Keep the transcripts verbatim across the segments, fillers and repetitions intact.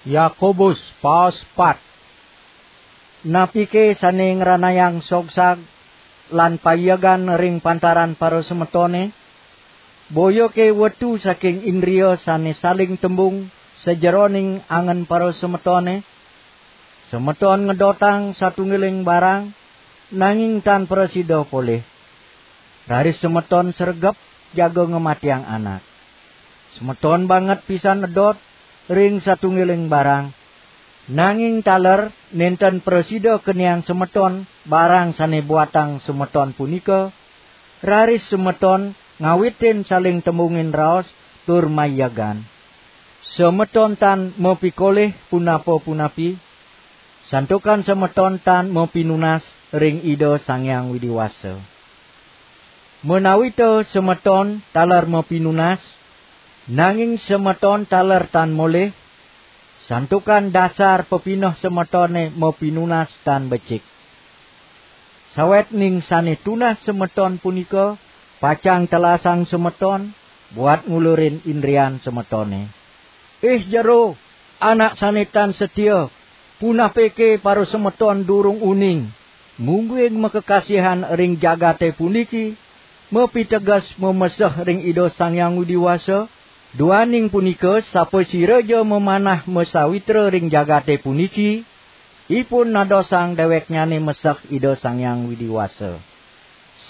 Yakobus paos pat. Napike sane ngranayang sogsag lan payegan ring pantaran parasemetone? Boyake wetu saking indria sane saling tembung sajeroning angen parasemetone? Semeton ngedotang satunggiling barang, nanging tan prasida polih. Raris semeton sregep jaga ngamatiang anak. Semeton banget pisan edot ring satunggiling barang, nanging taler nenten prasida keniang semeton barang sane buatang semeton punika, raris semeton ngawitin saling tembungin raos tur mayegan. Semeton tan mapikolih punapa-punapi, santukan semeton tan mapinunas ring Ida Sang Hyang Widi Wasa. Menawita semeton taler mapinunas, nanging semeton taler tan molih, santukan dasar pepineh semetone mapinunas tan becik. Sawetning sane tunah semeton punika pacang telasang semeton buat ngulurin indrian semetone. Ih jero, anak sane tan setia, punapike parasemeton durung uning, mungguing makakasihan ring jagate puniki, mapiteges mameseh ring Ida Sang Hyang Widi Wasa? Duaning punika, sapasiraja mamanah masawitra ring jagate puniki, ipun nadosang deweknyane meseh Ida Sang Hyang Widi Wasa.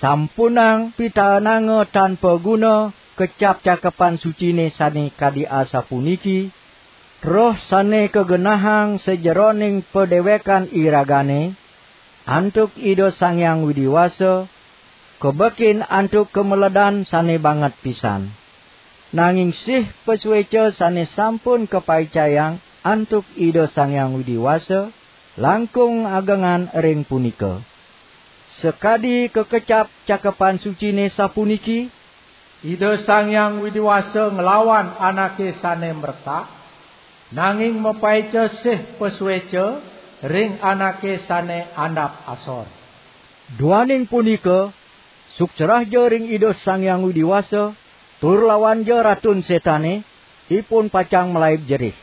Sampunang pitaenanga tan paguna kecap Cakepan Sucine sane kadi asapuniki, "Roh sane kagenahang sajeroning padewekan iragane, antuk Ida Sang Hyang Widi Wasa, kabekin antuk kameledan sane banget pisan." Nanging sih pasueca sane sampun kapaicayang antuk Ida Sang Hyang Widi Wasa, langkung agengan ring punika. Sakadi kakecap Cakepan Sucine sapuniki, "Ida Sang Hyang Widi Wasa nglawan anake sane mrekak, nanging mapaica sih pasueca ring anake sane andap asor." Duaning punika, suksrahja ring Ida Sang Hyang Widi Wasa, tur lawanja Ratun Setane, ipun pacang malaib jerih.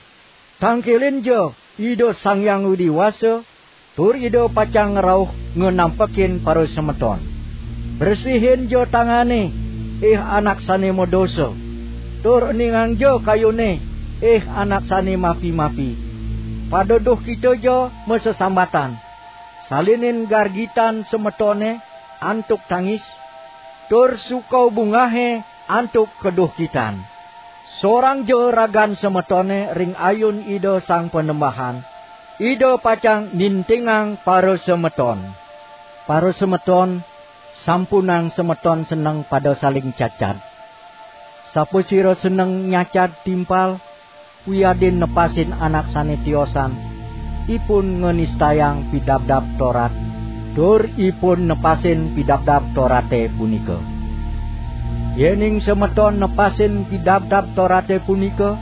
Tangkilinja Ida Sang Hyang Widi Wasa, tur Ida pacang ngrauh nganampekin parasemeton. Bresihinja tangane, ih anak sane madosa, tur eningangja kayune, ih anak sane mapi-mapi. Pada duhkitaja masesambatan, salinin gargitan semetone antuk tangis, tur sukau bungahe antuk kaduhkitan. Sorangja ragan semetone ring ayun Ida Sang Panembahan, Ida pacang nintingang parasemeton. Parasemeton, sampunang semeton seneng pada saling cacad. Sapasira seneng nyacad timpal, wiadin nepasin anak sane tiosan, ipun nganistayang Pidabdab Torat, tur ipun nepasin Pidabdab Torate punika. Yening semeton nepasin Pidabdab Torate punika,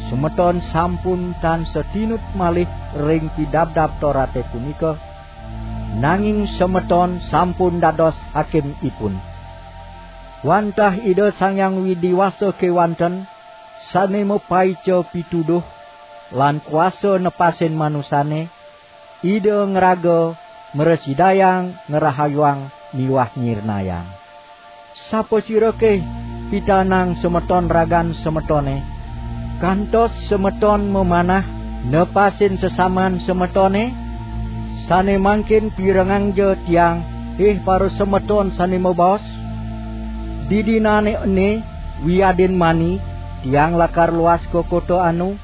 semeton sampun tan satinut malih ring Pidabdab Torate punika, nanging semeton sampun dados hakim ipun. Wantah Ida Sang Hyang Widi Wasa kewanten, sane mapaica pituduh lan kuasa nepasin manusane, Ida ngraga mrasidayang ngrahayuang miwah nyirnayang. Sapasirake pitaenang semeton ragan semetone, kantos semeton mamanah nepasin sesaman semetone? Sane mangkin pirengangja tiang, ih parasemeton sane mabaos, "Didinane ene wiadin mani, tiang lakar luas ka kota anu,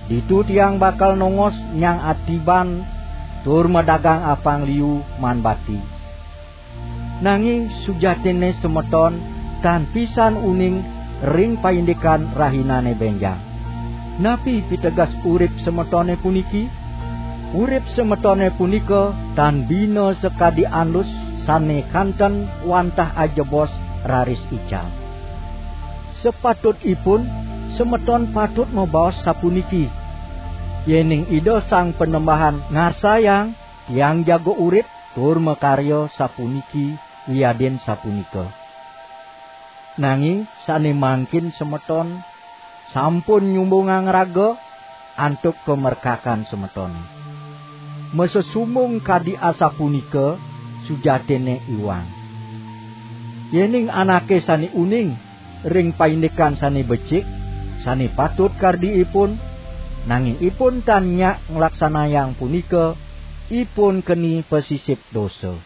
ditu tiang bakal nongos nyang atiban tur madagang apang liu maan bati." Nanging sujatinne semeton tan pisan uning ring paindikan rahinane benjang. Napi piteges urip semetone puniki? Urip semetone punika tan bina sakadi andus sane kanten wantah ajebos raris ical. Sapatutipun, semeton patut mabaos sapuniki: "Yening Ida Sang Panembahan ngarsayang, tiang jaga urip tur makarya sapuniki wiadin sapunika." Nanging sane mangkin semeton sampun nyumbungang raga, antuk kamerkakan semetone. Masesumung kadi asapunika sujatinne iwang. Yening anake sane uning ring paindikan sane becik, sane patut kardi ipun, nanging ipun tan nyak nglaksanayang punika, ipun keni pasisip dosa.